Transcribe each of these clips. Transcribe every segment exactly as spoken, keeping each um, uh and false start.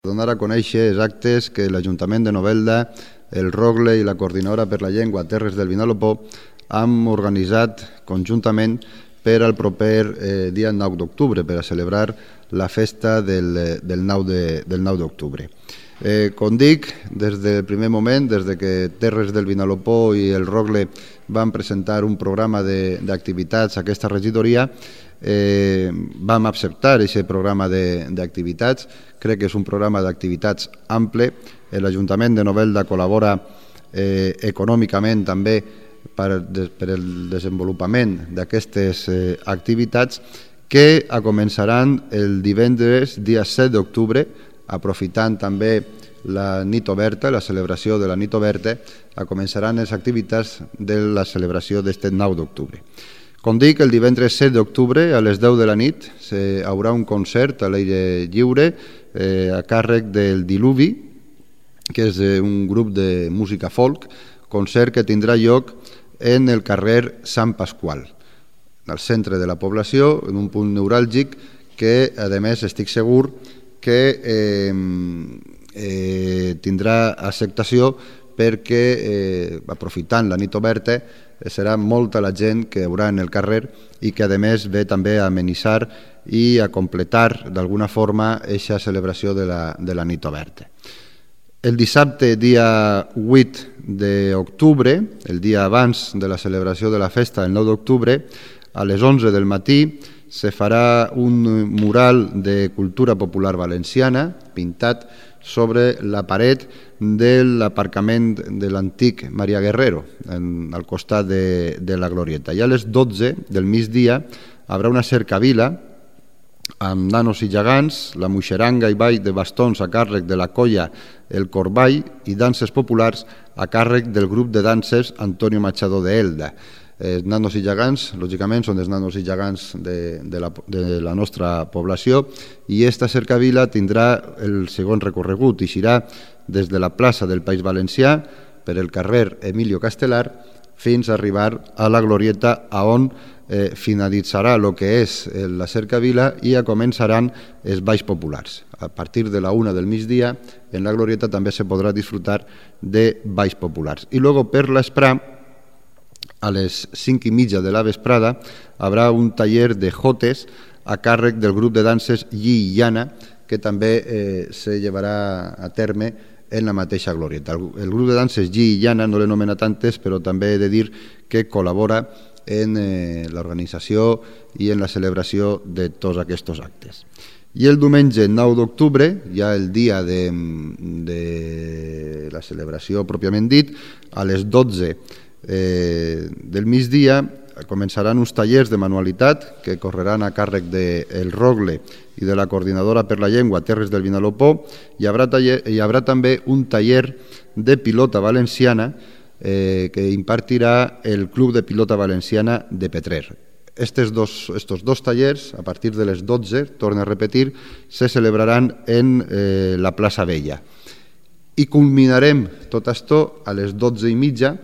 Donar a conèixer els actes que l'Ajuntament de Novelda, el Rogle i la Coordinadora per la Llengua Terres del Vinalopó han organitzat conjuntament per al proper eh, dia nou d'octubre, per a celebrar la festa del, del nou d'octubre. Eh, com dic, des del primer moment, des de que Terres del Vinalopó i el Rogle van presentar un programa d'activitats a aquesta regidoria, eh, vam acceptar aquest programa d'activitats. Crec que és un programa d'activitats ample. L'Ajuntament de Novelda col·labora eh, econòmicament també per, per el desenvolupament d'aquestes eh, activitats que començaran el divendres, dia set d'octubre, aprofitant també la nit oberta, la celebració de la nit oberta, començaran les activitats de la celebració d'aquest nou d'octubre. Com dic, el divendres set d'octubre a les deu de la nit hi haurà un concert a l'aire lliure eh, a càrrec del Diluvi, que és un grup de música folk, concert que tindrà lloc en el carrer Sant Pasqual, al centre de la població, en un punt neuràlgic que, a més, estic segur que eh, eh, tindrà acceptació perquè, eh, aprofitant la nit oberta, serà molta la gent que hi haurà en el carrer i que, a més, ve també a amenitzar i a completar d'alguna forma aquesta celebració de la, de la nit oberta. El dissabte, dia vuit d'octubre, el dia abans de la celebració de la festa, el nou d'octubre, a les onze del matí, se farà un mural de cultura popular valenciana pintat sobre la paret de l'aparcament de l'antic Maria Guerrero, en, al costat de, de la Glorieta. I a les dotze del migdia hi haurà una cercavila amb nanos i gegants, la moixeranga i ball de bastons a càrrec de la colla El Corball i danses populars a càrrec del grup de danses Antonio Machado de Elda. Els nanos i gegants, lògicament, són els nanos i gegants de, de, la, de la nostra població i aquesta cercavila tindrà el segon recorregut, eixirà des de la plaça del País Valencià per el carrer Emilio Castelar fins a arribar a la Glorieta, on eh, finalitzarà el que és la cercavila i començaran els balls populars. A partir de la una del migdia, en la Glorieta també se podrà disfrutar de balls populars. I luego per l'esprà, a les cinc i mitja de la vesprada, hi haurà un taller de jotes a càrrec del grup de danses Lli i Llana, que també eh, se llevarà a terme en la mateixa Glorieta. El, el grup de danses Lli i Llana no l'anomena tantes, però també he de dir que col·labora en eh, l'organització i en la celebració de tots aquests actes. I el diumenge nou d'octubre, ja el dia de, de la celebració pròpiament dit, a les dotze Eh, del migdia començaran uns tallers de manualitat que correran a càrrec del Rogle i de la Coordinadora per la Llengua Terres del Vinalopó. Hi haurà, taller, hi haurà també un taller de pilota valenciana eh, que impartirà el Club de Pilota Valenciana de Petrer. Estos dos, estos dos tallers, a partir de les dotze, torno a repetir, se celebraran en eh, la plaça Vella. I culminarem tot això a les dotze i mitja.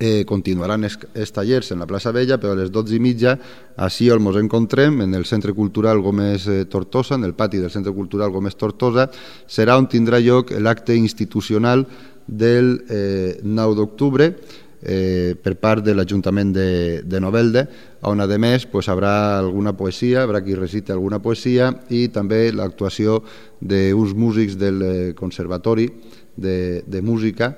Eh, continuaran els tallers en la plaça Vella, però a les dotze i mitja així on ens encontrem, en el Centre Cultural Gómez Tortosa, en el pati del Centre Cultural Gómez Tortosa, serà on tindrà lloc l'acte institucional del eh, nou d'octubre eh, per part de l'Ajuntament de, de Novelda, on a més pues, hi haurà alguna poesia, haurà qui recita alguna poesia i també l'actuació d'uns músics del Conservatori de, de Música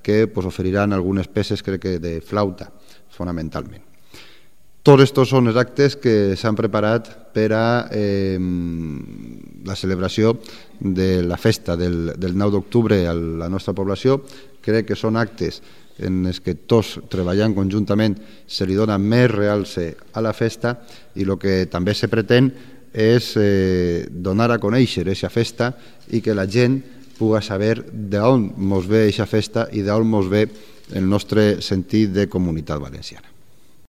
que pues, oferiran algunes peces, crec que de flauta, fonamentalment. Tots aquests són els actes que s'han preparat per a eh, la celebració de la festa del, del nou d'octubre a la nostra població. Crec que són actes en els que tots treballant conjuntament se li dona més realce a la festa i el que també se pretén és eh, donar a conèixer aquesta festa i que la gent puga saber d'on ens ve aquesta festa i d'on ens ve el nostre sentit de comunitat valenciana.